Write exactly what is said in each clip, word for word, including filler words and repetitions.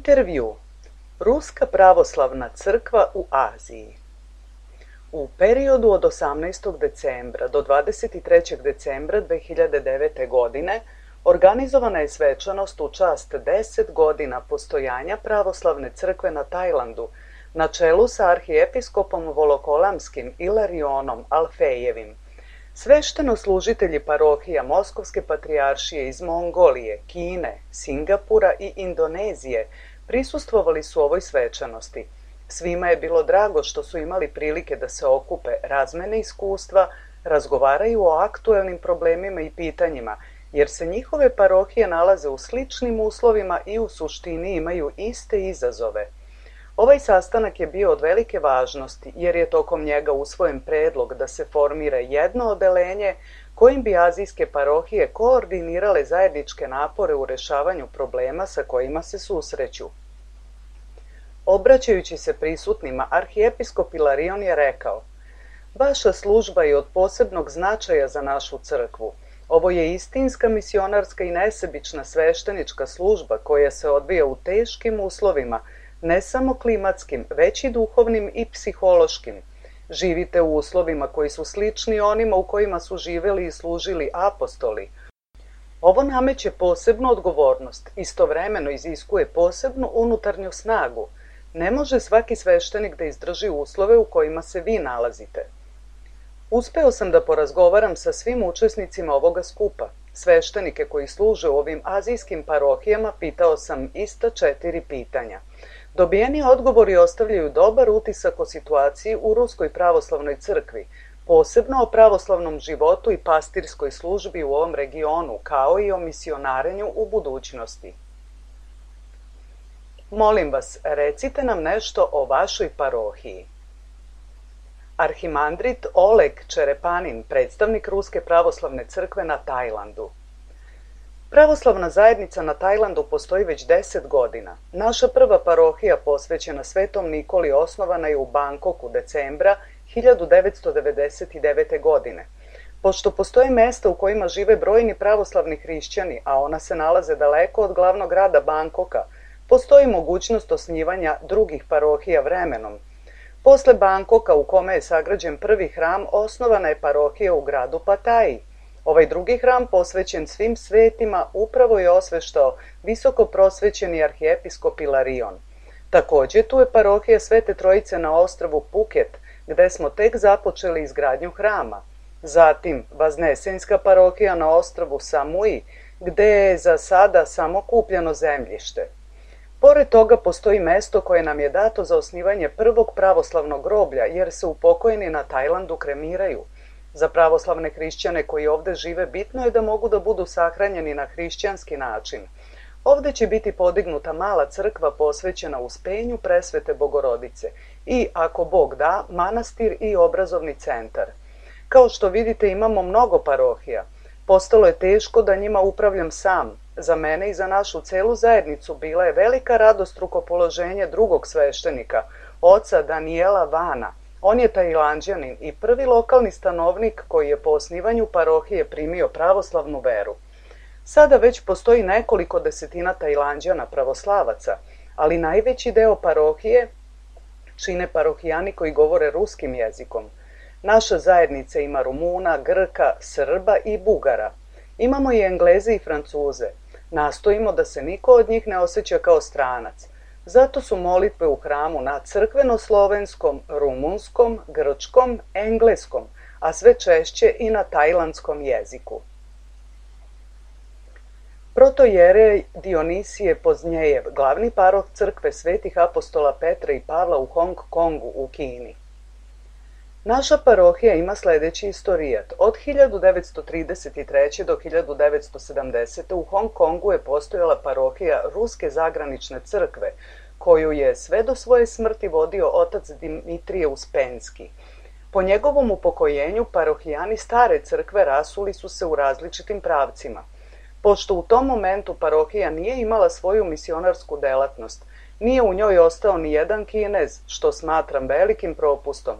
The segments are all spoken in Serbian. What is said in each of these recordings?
Intervju. Ruska pravoslavna crkva u Aziji. U periodu od osamnaestog decembra do dvadeset trećeg decembra dve hiljade devete. godine organizovana je svečanost u čast deset godina postojanja pravoslavne crkve na Tajlandu, na čelu sa arhijepiskopom Volokolamskim Ilarionom Alfejevim. Svešteno-služitelji parohija Moskovske patrijaršije iz Mongolije, Kine, Singapura i Indonezije prisustvovali su ovoj svečanosti. Svima je bilo drago što su imali prilike da se okupe, razmene iskustva, razgovaraju o aktuelnim problemima i pitanjima, jer se njihove parohije nalaze u sličnim uslovima i u suštini imaju iste izazove. Ovaj sastanak je bio od velike važnosti, jer je tokom njega usvojen predlog da se formira jedno odeljenje kojim bi azijske parohije koordinirale zajedničke napore u rešavanju problema sa kojima se susreću. Obraćajući se prisutnima, arhijepiskop Ilarion je rekao: "Vaša služba je od posebnog značaja za našu crkvu. Ovo je istinska misionarska i nesebična sveštenička služba koja se odvija u teškim uslovima, ne samo klimatskim, već i duhovnim i psihološkim. Živite u uslovima koji su slični onima u kojima su živeli i služili apostoli. Ovo nameće posebnu odgovornost, istovremeno iziskuje posebnu unutarnju snagu. Ne može svaki sveštenik da izdrži uslove u kojima se vi nalazite." Uspeo sam da porazgovaram sa svim učesnicima ovoga skupa. Sveštenike koji služe u ovim azijskim parohijama pitao sam ista četiri pitanja. Dobijeni odgovori ostavljaju dobar utisak o situaciji u Ruskoj pravoslavnoj crkvi, posebno o pravoslavnom životu i pastirskoj službi u ovom regionu, kao i o misionarenju u budućnosti. Molim vas, recite nam nešto o vašoj parohiji. Arhimandrit Oleg Čerepanin, predstavnik Ruske pravoslavne crkve na Tajlandu. Pravoslavna zajednica na Tajlandu postoji već deset godina. Naša prva parohija posvećena Svetom Nikoli osnovana je u Bangkoku decembra hiljadu devetsto devedeset devete. godine. Pošto postoje mesta u kojima žive brojni pravoslavni hrišćani, a ona se nalaze daleko od glavnog grada Bangkoka, postoji mogućnost osnivanja drugih parohija vremenom. Posle Bangkoka, u kome je sagrađen prvi hram, osnovana je parohija u gradu Pataji. Ovaj drugi hram, posvećen svim svetima, upravo je osveštao visoko prosvećeni arhijepiskop Ilarion. Takođe, tu je parohija Svete Trojice na ostrvu Phuket, gde smo tek započeli izgradnju hrama. Zatim, Vaznesenska parohija na ostrvu Samui, gde je za sada samo kupljeno zemljište. Pored toga postoji mesto koje nam je dato za osnivanje prvog pravoslavnog groblja, jer se upokojeni na Tajlandu kremiraju. Za pravoslavne hrišćane koji ovde žive bitno je da mogu da budu sahranjeni na hrišćanski način. Ovde će biti podignuta mala crkva posvećena Uspenju Presvete Bogorodice i, ako Bog da, manastir i obrazovni centar. Kao što vidite, imamo mnogo parohija. Postalo je teško da njima upravljam sam. Za mene i za našu celu zajednicu bila je velika radost rukopoloženje drugog sveštenika, oca Daniela Vana. On je Tajlanđanin i prvi lokalni stanovnik koji je po osnivanju parohije primio pravoslavnu veru. Sada već postoji nekoliko desetina Tajlanđana pravoslavaca, ali najveći deo parohije čine parohijani koji govore ruskim jezikom. Naša zajednica ima Rumuna, Grka, Srba i Bugara. Imamo i Engleze i Francuze. Nastojimo da se niko od njih ne osjeća kao stranac. Zato su molitve u hramu na crkveno-slovenskom, rumunskom, grčkom, engleskom, a sve češće i na tajlandskom jeziku. Protojerej Dionisije Poznjejev, glavni paroh crkve svetih apostola Petra i Pavla u Hong Kongu u Kini. Naša parohija ima sledeći istorijat. Od hiljadu devetsto trideset treće. do hiljadu devetsto sedamdesete. u Hong Kongu je postojala parohija Ruske zagranične crkve, koju je sve do svoje smrti vodio otac Dimitrije Uspenski. Po njegovom upokojenju parohijani stare crkve rasuli su se u različitim pravcima. Pošto u tom momentu parohija nije imala svoju misionarsku delatnost, nije u njoj ostao ni jedan Kinez, što smatram velikim propustom.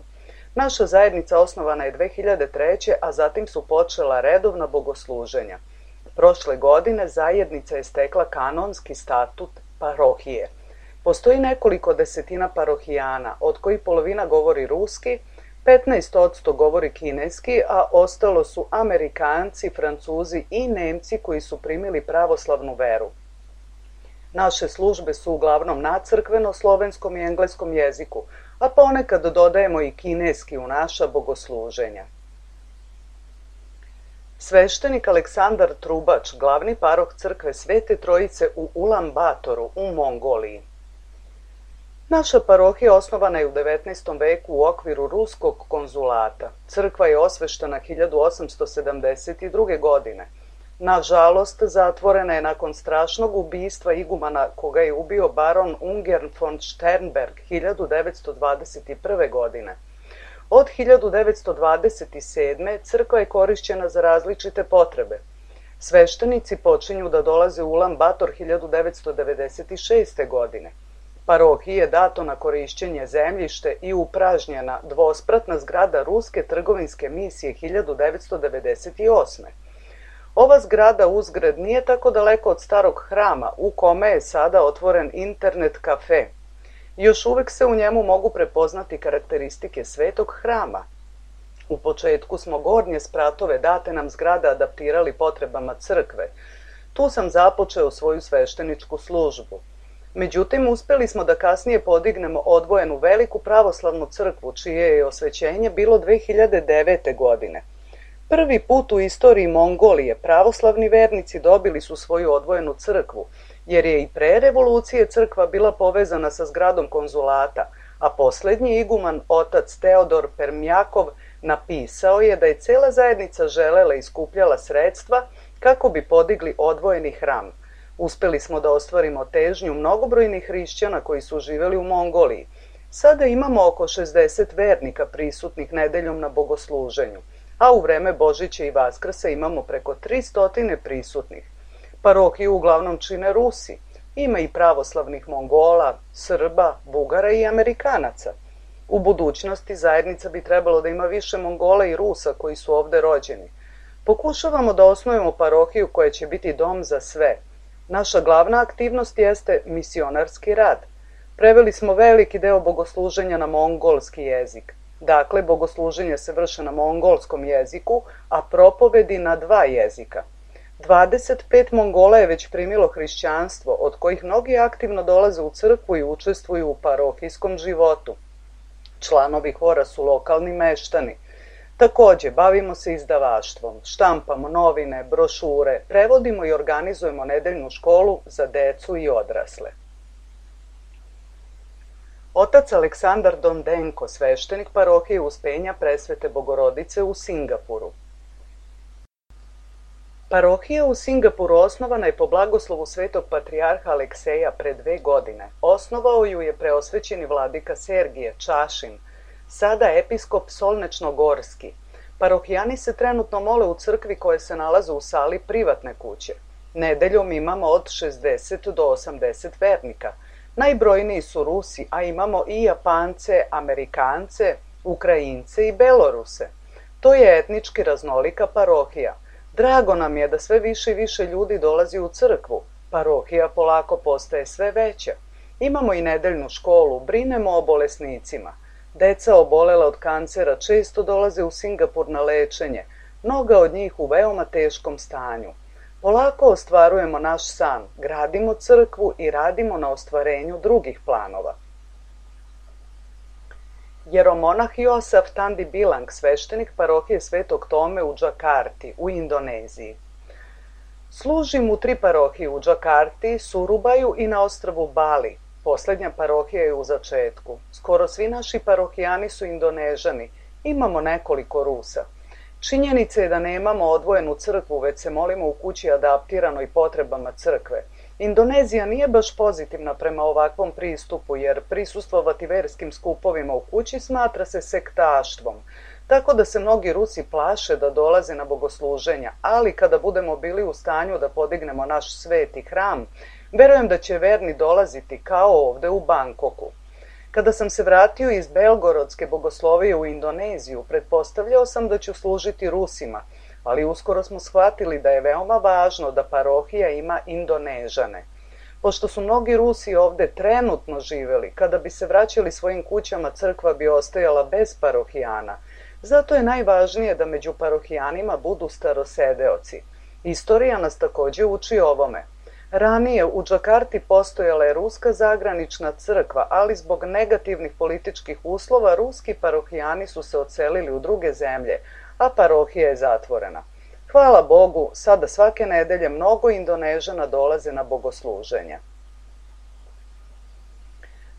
Naša zajednica osnovana je dve hiljade treće. a zatim su počela redovna bogosluženja. Prošle godine zajednica je stekla kanonski statut parohije. Postoji nekoliko desetina parohijana, od kojih polovina govori ruski, petnaest posto govori kineski, a ostalo su Amerikanci, Francuzi i Nemci koji su primili pravoslavnu veru. Naše službe su uglavnom na crkveno-slovenskom i engleskom jeziku, a ponekad dodajemo i kineski u naša bogosluženja. Sveštenik Aleksandar Trubač, glavni paroh crkve Svete Trojice u Ulan Batoru u Mongoliji. Naša parohija osnovana je u devetnaestom veku u okviru ruskog konzulata. Crkva je osveštena hiljadu osamsto sedamdeset druge. godine. Nažalost, zatvorena je nakon strašnog ubistva igumana koga je ubio baron Ungern von Sternberg hiljadu devetsto dvadeset prve. godine. Od hiljadu devetsto dvadeset sedme. crkva je korišćena za različite potrebe. Sveštenici počinju da dolaze u Ulan Bator hiljadu devetsto devedeset šeste. godine. Parohiji je dato na korišćenje zemljište i upražnjena dvospratna zgrada Ruske trgovinske misije hiljadu devetsto devedeset osme. Ova zgrada uzgred nije tako daleko od starog hrama u kome je sada otvoren internet kafe. Još uvek se u njemu mogu prepoznati karakteristike svetog hrama. U početku smo gornje spratove date nam zgrada adaptirali potrebama crkve. Tu sam započeo svoju svešteničku službu. Međutim, uspeli smo da kasnije podignemo odvojenu veliku pravoslavnu crkvu, čije je osvećenje bilo dve hiljade devete. godine. Prvi put u istoriji Mongolije pravoslavni vernici dobili su svoju odvojenu crkvu, jer je i pre revolucije crkva bila povezana sa zgradom konzulata, a poslednji iguman, otac Teodor Permjakov, napisao je da je cela zajednica želela i skupljala sredstva kako bi podigli odvojeni hram. Uspeli smo da ostvarimo težnju mnogobrojnih hrišćana koji su živeli u Mongoliji. Sada imamo oko šezdeset vernika prisutnih nedeljom na bogosluženju, a u vreme Božića i Vaskrsa imamo preko tristo prisutnih. Parohiju uglavnom čine Rusi. Ima i pravoslavnih Mongola, Srba, Bugara i Amerikanaca. U budućnosti zajednica bi trebalo da ima više Mongola i Rusa koji su ovde rođeni. Pokušavamo da osnujemo parohiju koja će biti dom za sve. Naša glavna aktivnost jeste misionarski rad. Preveli smo veliki deo bogosluženja na mongolski jezik. Dakle, bogosluženje se vrše na mongolskom jeziku, a propovedi na dva jezika. dvadeset pet Mongola je već primilo hrišćanstvo, od kojih mnogi aktivno dolaze u crkvu i učestvuju u parohijskom životu. Članovi hora su lokalni meštani. Takođe, bavimo se izdavaštvom, štampamo novine, brošure, prevodimo i organizujemo nedeljnu školu za decu i odrasle. Otac Aleksandar Dondenko, sveštenik parohije Uspenja Presvete Bogorodice u Singapuru. Parohija u Singapuru osnovana je po blagoslovu svetog patrijarha Alekseja pre dve godine. Osnovao ju je preosvećeni vladika Sergije Čašin, sada episkop Solnečno-Gorski. Parohijani se trenutno mole u crkvi koja se nalaze u sali privatne kuće. Nedeljom imamo od šezdeset do osamdeset vernika. Najbrojniji su Rusi, a imamo i Japance, Amerikance, Ukrajince i Beloruse. To je etnički raznolika parohija. Drago nam je da sve više i više ljudi dolazi u crkvu. Parohija polako postaje sve veća. Imamo i nedeljnu školu, brinemo o bolesnicima. Deca obolela od kancera često dolaze u Singapur na lečenje, mnoga od njih u veoma teškom stanju. Polako ostvarujemo naš san, gradimo crkvu i radimo na ostvarenju drugih planova. Jeromonah Josaf Tandi Bilang, sveštenik parohije Svetog Tome u Džakarti, u Indoneziji. Služim u tri parohije u Džakarti, Surubaju i na ostrvu Bali. Poslednja parohija je u začetku. Skoro svi naši parohijani su Indonežani. Imamo nekoliko Rusa. Činjenica je da nemamo odvojenu crkvu, već se molimo u kući adaptiranoj potrebama crkve. Indonezija nije baš pozitivna prema ovakvom pristupu, jer prisustvovati verskim skupovima u kući smatra se sektaštvom. Tako da se mnogi Rusi plaše da dolaze na bogosluženja, ali kada budemo bili u stanju da podignemo naš sveti hram, verujem da će verni dolaziti kao ovde u Bangkoku. Kada sam se vratio iz Belgorodske bogoslovije u Indoneziju, pretpostavljao sam da ću služiti Rusima, ali uskoro smo shvatili da je veoma važno da parohija ima Indonežane. Pošto su mnogi Rusi ovde trenutno živeli, kada bi se vraćali svojim kućama, crkva bi ostajala bez parohijana. Zato je najvažnije da među parohijanima budu starosedeoci. Istorija nas takođe uči ovome. Ranije u Džakarti postojala je ruska zagranična crkva, ali zbog negativnih političkih uslova ruski parohijani su se odselili u druge zemlje, a parohija je zatvorena. Hvala Bogu, sada svake nedelje mnogo Indonežana dolaze na bogosluženja.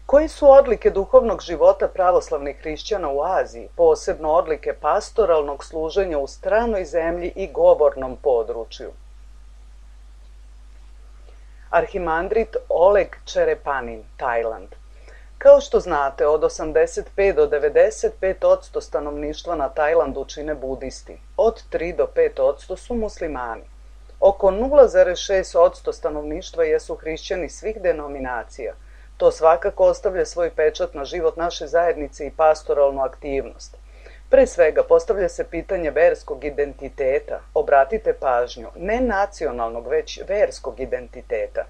Koji su odlike duhovnog života pravoslavnih hrišćana u Aziji, posebno odlike pastoralnog služenja u stranoj zemlji i govornom području? Arhimandrit Oleg Čerepanin, Tajland. Kao što znate, od osamdeset pet do devedeset pet posto stanovništva na Tajlandu čine budisti, od tri do pet posto su muslimani. Oko nula zarez šest posto stanovništva jesu hrišćani svih denominacija. To svakako ostavlja svoj pečat na život naše zajednice i pastoralnu aktivnost. Pre svega postavlja se pitanje verskog identiteta, obratite pažnju, ne nacionalnog, već verskog identiteta.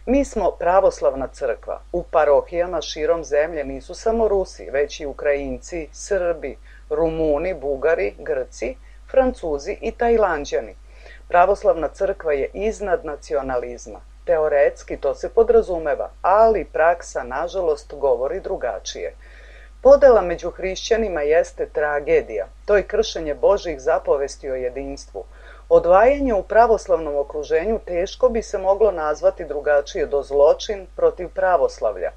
Mi smo pravoslavna crkva, u parohijama širom zemlje nisu samo Rusi, već i Ukrajinci, Srbi, Rumuni, Bugari, Grci, Francuzi i Tajlanđani. Pravoslavna crkva je iznad nacionalizma. Teoretski to se podrazumeva, ali praksa, nažalost, govori drugačije. Podela među hrišćanima jeste tragedija, to je kršenje Božjih zapovesti o jedinstvu. Odvajanje u pravoslavnom okruženju teško bi se moglo nazvati drugačije do zločin protiv pravoslavlja.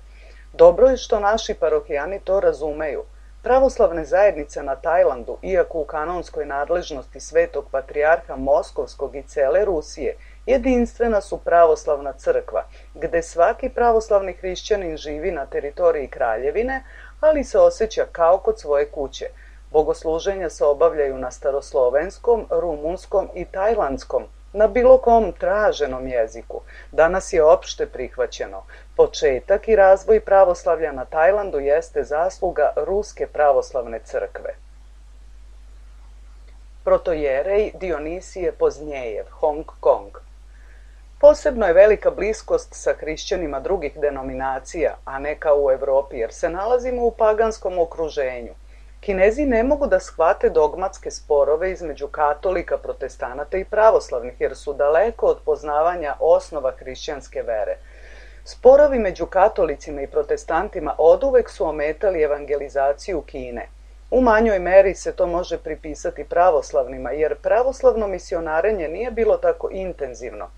Dobro je što naši parohijani to razumeju. Pravoslavne zajednice na Tajlandu, iako u kanonskoj nadležnosti Svetog patrijarha Moskovskog i cele Rusije, jedinstvena su pravoslavna crkva, gde svaki pravoslavni hrišćanin živi na teritoriji kraljevine, ali se osjeća kao kod svoje kuće. Bogosluženja se obavljaju na staroslovenskom, rumunskom i tajlandskom, na bilo kom traženom jeziku. Danas je opšte prihvaćeno. Početak i razvoj pravoslavlja na Tajlandu jeste zasluga Ruske pravoslavne crkve. Protojerej Dionisije Poznjejev, Hong Kong. Posebno je velika bliskost sa hrišćanima drugih denominacija, a ne kao u Evropi, jer se nalazimo u paganskom okruženju. Kinezi ne mogu da shvate dogmatske sporove između katolika, protestanata i pravoslavnih, jer su daleko od poznavanja osnova hrišćanske vere. Sporovi među katolicima i protestantima oduvek su ometali evangelizaciju Kine. U manjoj meri se to može pripisati pravoslavnima, jer pravoslavno misionarenje nije bilo tako intenzivno.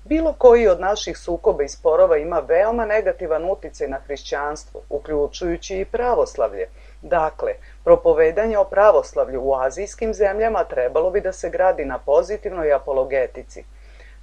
Bilo koji od naših sukoba i sporova ima veoma negativan uticaj na hrišćanstvo, uključujući i pravoslavlje. Dakle, propovedanje o pravoslavlju u azijskim zemljama trebalo bi da se gradi na pozitivnoj apologetici.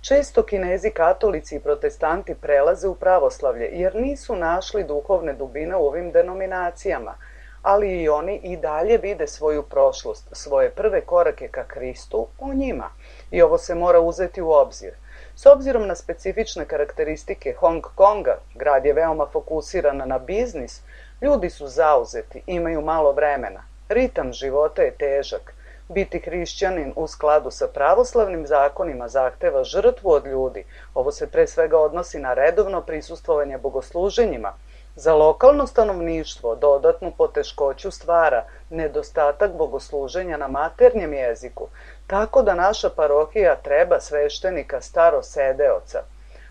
Često Kinezi, katolici i protestanti prelaze u pravoslavlje jer nisu našli duhovne dubine u ovim denominacijama, ali i oni i dalje vide svoju prošlost, svoje prve korake ka Hristu u njima. I ovo se mora uzeti u obzir. S obzirom na specifične karakteristike Hong Konga, grad je veoma fokusiran na biznis, ljudi su zauzeti, imaju malo vremena. Ritam života je težak. Biti hrišćanin u skladu sa pravoslavnim zakonima zahteva žrtvu od ljudi. Ovo se pre svega odnosi na redovno prisustvovanje bogosluženjima. Za lokalno stanovništvo dodatnu poteškoću stvara nedostatak bogosluženja na maternjem jeziku, tako da naša parohija treba sveštenika starosedeoca.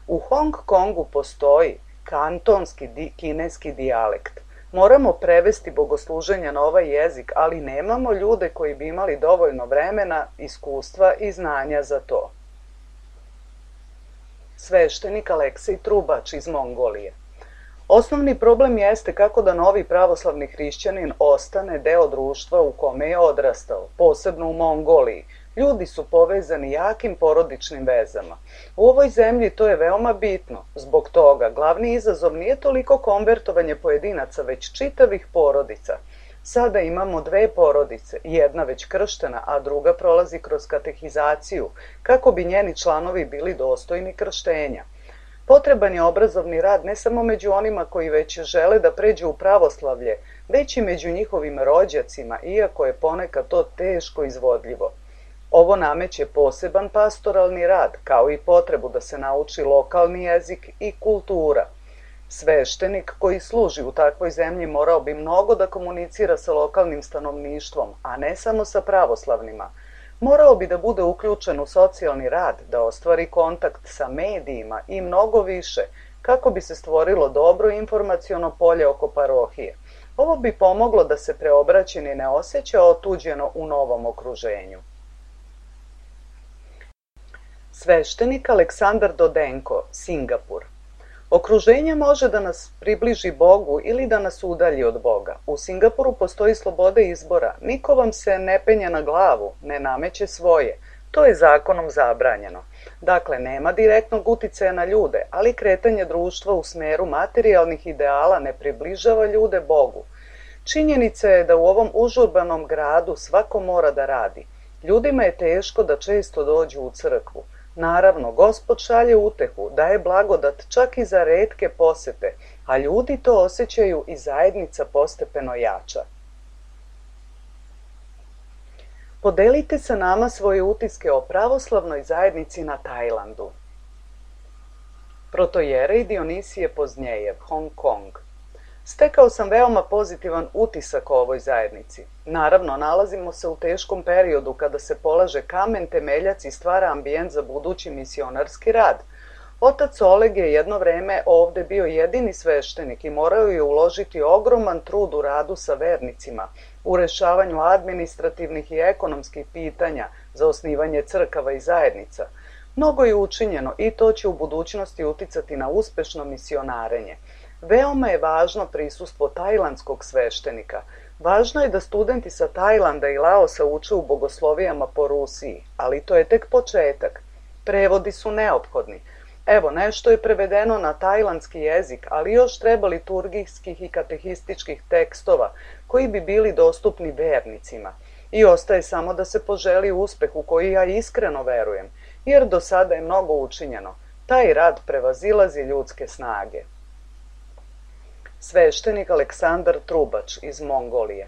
U Hong Kongu postoji kantonski di, kineski dijalekt. Moramo prevesti bogosluženja na ovaj jezik, ali nemamo ljude koji bi imali dovoljno vremena, iskustva i znanja za to. Sveštenik Aleksej Trubač iz Mongolije. Osnovni problem jeste kako da novi pravoslavni hrišćanin ostane deo društva u kome je odrastao, posebno u Mongoliji. Ljudi su povezani jakim porodičnim vezama. U ovoj zemlji to je veoma bitno. Zbog toga glavni izazov nije toliko konvertovanje pojedinaca, već čitavih porodica. Sada imamo dve porodice, jedna već krštena, a druga prolazi kroz katehizaciju, kako bi njeni članovi bili dostojni krštenja. Potreban je obrazovni rad ne samo među onima koji već žele da pređu u pravoslavlje, već i među njihovim rođacima, iako je ponekad to teško izvodljivo. Ovo nameće poseban pastoralni rad, kao i potrebu da se nauči lokalni jezik i kultura. Sveštenik koji služi u takvoj zemlji morao bi mnogo da komunicira sa lokalnim stanovništvom, a ne samo sa pravoslavnima. Morao bi da bude uključen u socijalni rad, da ostvari kontakt sa medijima i mnogo više, kako bi se stvorilo dobro informaciono polje oko parohije. Ovo bi pomoglo da se preobraćeni ne osjeća otuđeno u novom okruženju. Sveštenik Aleksandar Dodenko, Singapur. Okruženje može da nas približi Bogu ili da nas udalji od Boga. U Singapuru postoji sloboda izbora. Niko vam se ne penje na glavu, ne nameće svoje. To je zakonom zabranjeno. Dakle, nema direktnog uticaja na ljude, ali kretanje društva u smeru materijalnih ideala ne približava ljude Bogu. Činjenica je da u ovom užurbanom gradu svako mora da radi. Ljudima je teško da često dođu u crkvu. Naravno, Gospod šalje utehu, daje blagodat čak i za retke posete, a ljudi to osjećaju i zajednica postepeno jača. Podelite sa nama svoje utiske o pravoslavnoj zajednici na Tajlandu. Protojerej Dionisije Poznjejev, Hong Kong. Stekao sam veoma pozitivan utisak o ovoj zajednici. Naravno, nalazimo se u teškom periodu kada se polaže kamen temeljac i stvara ambijent za budući misionarski rad. Otac Oleg je jedno vreme ovde bio jedini sveštenik i morao je uložiti ogroman trud u radu sa vernicima, u rešavanju administrativnih i ekonomskih pitanja za osnivanje crkava i zajednica. Mnogo je učinjeno i to će u budućnosti uticati na uspešno misionarenje. Veoma je važno prisustvo tajlandskog sveštenika. Važno je da studenti sa Tajlanda i Laosa uče u bogoslovijama po Rusiji, ali to je tek početak. Prevodi su neophodni. Evo, nešto je prevedeno na tajlandski jezik, ali još treba liturgijskih i katehističkih tekstova koji bi bili dostupni vernicima. I ostaje samo da se poželi uspeh u koji ja iskreno verujem, jer do sada je mnogo učinjeno. Taj rad prevazilazi ljudske snage. Sveštenik Aleksandar Trubač iz Mongolije.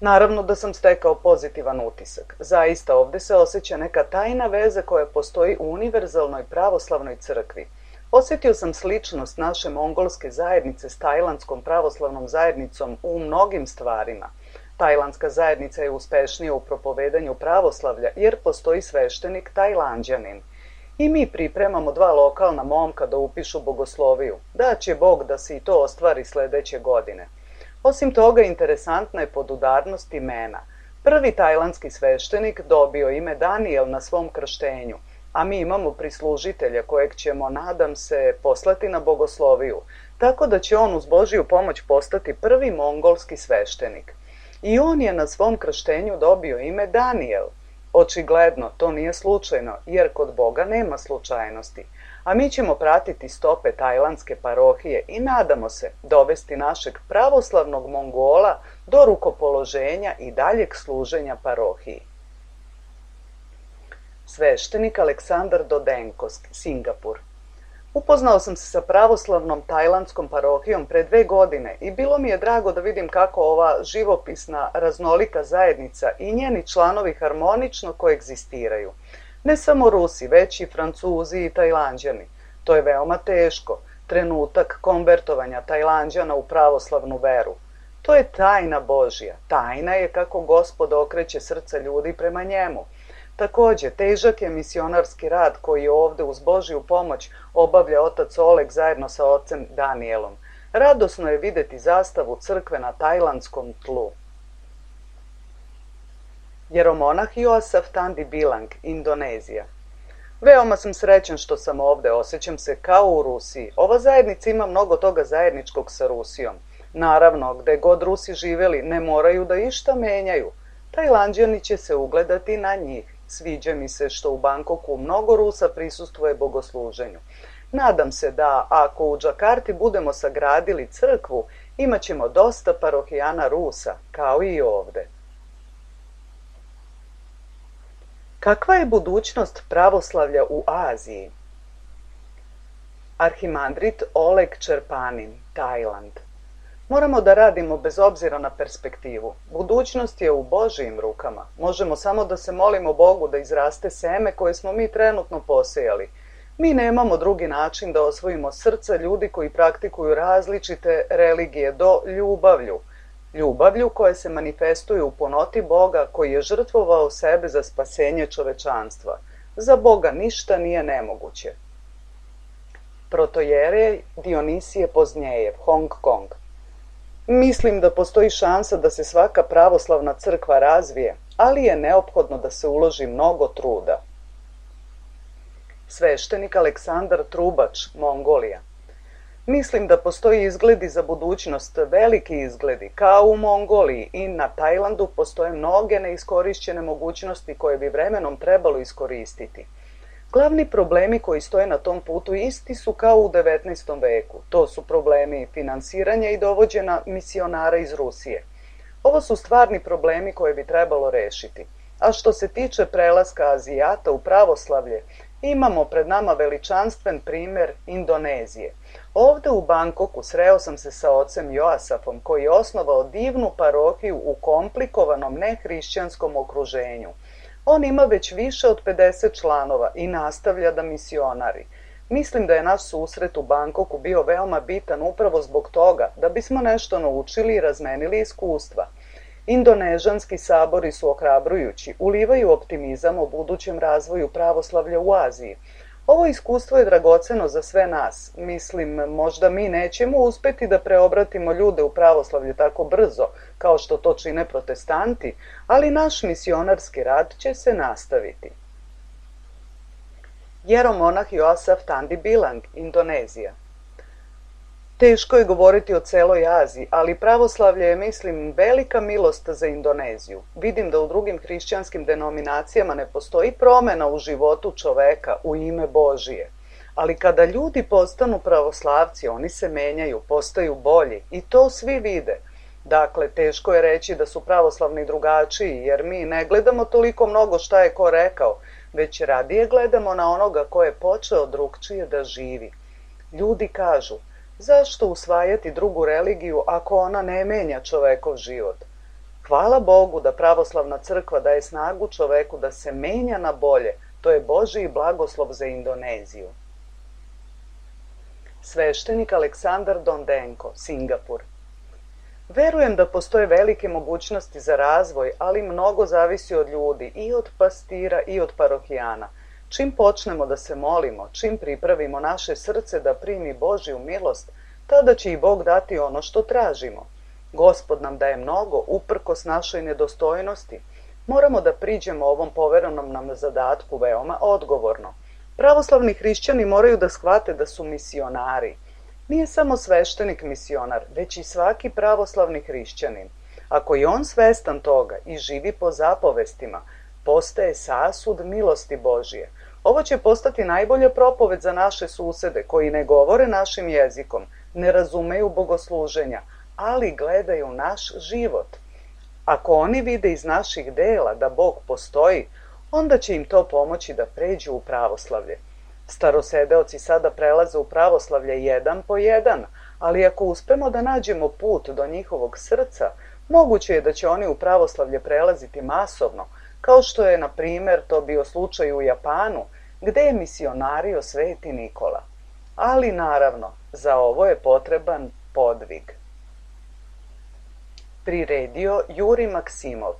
Naravno da sam stekao pozitivan utisak. Zaista ovde se osjeća neka tajna veza koja postoji u univerzalnoj pravoslavnoj crkvi. Osjetio sam sličnost naše mongolske zajednice s tajlandskom pravoslavnom zajednicom u mnogim stvarima. Tajlandska zajednica je uspešnija u propovedanju pravoslavlja jer postoji sveštenik Tajlanđanin. I mi pripremamo dva lokalna momka da upišu bogosloviju. Da će Bog da se i to ostvari sledeće godine. Osim toga, interesantna je podudarnost imena. Prvi tajlandski sveštenik dobio ime Daniel na svom krštenju, a mi imamo prislužitelja kojeg ćemo, nadam se, poslati na bogosloviju, tako da će on uz Božiju pomoć postati prvi mongolski sveštenik. I on je na svom krštenju dobio ime Daniel. Očigledno, to nije slučajno, jer kod Boga nema slučajnosti, a mi ćemo pratiti stope tajlandske parohije i nadamo se dovesti našeg pravoslavnog Mongola do rukopoloženja i daljeg služenja parohiji. Sveštenik Aleksandar Dodenko, Singapur. Upoznao sam se sa pravoslavnom tajlandskom parohijom pre dve godine i bilo mi je drago da vidim kako ova živopisna, raznolika zajednica i njeni članovi harmonično koegzistiraju. Ne samo Rusi, već i Francuzi i Tajlanđani. To je veoma teško, trenutak konvertovanja Tajlanđana u pravoslavnu veru. To je tajna Božja. Tajna je kako Gospod okreće srca ljudi prema njemu. Takođe, težak je misionarski rad koji ovde uz Božju pomoć obavlja otac Oleg zajedno sa ocem Danielom. Radosno je videti zastavu crkve na tajlandskom tlu. Jeromonah Joasaf Tandi Bilang, Indonezija. Veoma sam srećan što sam ovde, osjećam se kao u Rusiji. Ova zajednica ima mnogo toga zajedničkog sa Rusijom. Naravno, gde god Rusi živeli, ne moraju da išta menjaju. Tajlanđani će se ugledati na njih. Sviđa mi se što u Bangkoku mnogo Rusa prisustvuje bogosluženju. Nadam se da, ako u Džakarti budemo sagradili crkvu, imaćemo dosta parohijana Rusa, kao i ovde. Kakva je budućnost pravoslavlja u Aziji? Arhimandrit Oleg Čerpanin, Tajland. Moramo da radimo bez obzira na perspektivu. Budućnost je u Božijim rukama. Možemo samo da se molimo Bogu da izraste seme koje smo mi trenutno posejali. Mi nemamo drugi način da osvojimo srca ljudi koji praktikuju različite religije do ljubavlju. Ljubavlju koja se manifestuje u punoti Boga koji je žrtvovao sebe za spasenje čovečanstva. Za Boga ništa nije nemoguće. Protojerej Dionisije Poznjejev, Hong Kong. Mislim da postoji šansa da se svaka pravoslavna crkva razvije, ali je neophodno da se uloži mnogo truda. Sveštenik Aleksandar Trubač, Mongolija. Mislim da postoji izgledi za budućnost, veliki izgledi, kao u Mongoliji i na Tajlandu postoje mnoge neiskorišćene mogućnosti koje bi vremenom trebalo iskoristiti. Glavni problemi koji stoje na tom putu isti su kao u devetnaestom veku. To su problemi finansiranja i dovođenja misionara iz Rusije. Ovo su stvarni problemi koje bi trebalo rešiti. A što se tiče prelaska Azijata u pravoslavlje, imamo pred nama veličanstven primer Indonezije. Ovde u Bangkoku sreo sam se sa ocem Joasafom koji je osnovao divnu parohiju u komplikovanom nehrišćanskom okruženju. On ima već više od pedeset članova i nastavlja da misionari. Mislim da je naš susret u Bangkoku bio veoma bitan upravo zbog toga da bismo nešto naučili i razmenili iskustva. Indonežanski sabori su ohrabrujući, ulivaju optimizam o budućem razvoju pravoslavlja u Aziji. Ovo iskustvo je dragoceno za sve nas. Mislim, možda mi nećemo uspeti da preobratimo ljude u pravoslavlje tako brzo, kao što to čine protestanti, ali naš misionarski rad će se nastaviti. Jeromonah Joasaf Tandi Bilang, Indonezija. Teško je govoriti o celoj Aziji, ali pravoslavlje je, mislim, velika milost za Indoneziju. Vidim da u drugim hrišćanskim denominacijama ne postoji promena u životu čoveka u ime Božije. Ali kada ljudi postanu pravoslavci, oni se menjaju, postaju bolji i to svi vide. Dakle, teško je reći da su pravoslavni drugačiji, jer mi ne gledamo toliko mnogo šta je ko rekao, već radije gledamo na onoga ko je počeo drugčije da živi. Ljudi kažu, zašto usvajati drugu religiju ako ona ne menja čovekov život? Hvala Bogu da pravoslavna crkva daje snagu čoveku da se menja na bolje. To je Božiji blagoslov za Indoneziju. Sveštenik Aleksandar Dondenko, Singapur. Verujem da postoje velike mogućnosti za razvoj, ali mnogo zavisi od ljudi, i od pastira i od parohijana. Čim počnemo da se molimo, čim pripravimo naše srce da primi Božju milost, tada će i Bog dati ono što tražimo. Gospod nam daje mnogo, uprkos našoj nedostojnosti. Moramo da priđemo ovom poverenom nam zadatku veoma odgovorno. Pravoslavni hrišćani moraju da shvate da su misionari. Nije samo sveštenik misionar, već i svaki pravoslavni hrišćanin. Ako je on svestan toga i živi po zapovestima, postaje sasud milosti Božije. Ovo će postati najbolja propoved za naše susede koji ne govore našim jezikom, ne razumeju bogosluženja, ali gledaju naš život. Ako oni vide iz naših dela da Bog postoji, onda će im to pomoći da pređu u pravoslavlje. Starosedeoci sada prelaze u pravoslavlje jedan po jedan, ali ako uspemo da nađemo put do njihovog srca, moguće je da će oni u pravoslavlje prelaziti masovno, kao što je, na primjer, to bio slučaj u Japanu, gde je misionario Sveti Nikola. Ali, naravno, za ovo je potreban podvig. Priredio Juri Maksimov,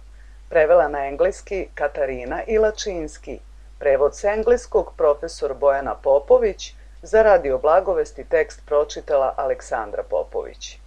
prevela na engleski Katarina Ilačinski, prevod s engleskog profesor Bojana Popović, za Radio Blagovesti tekst pročitala Aleksandra Popović.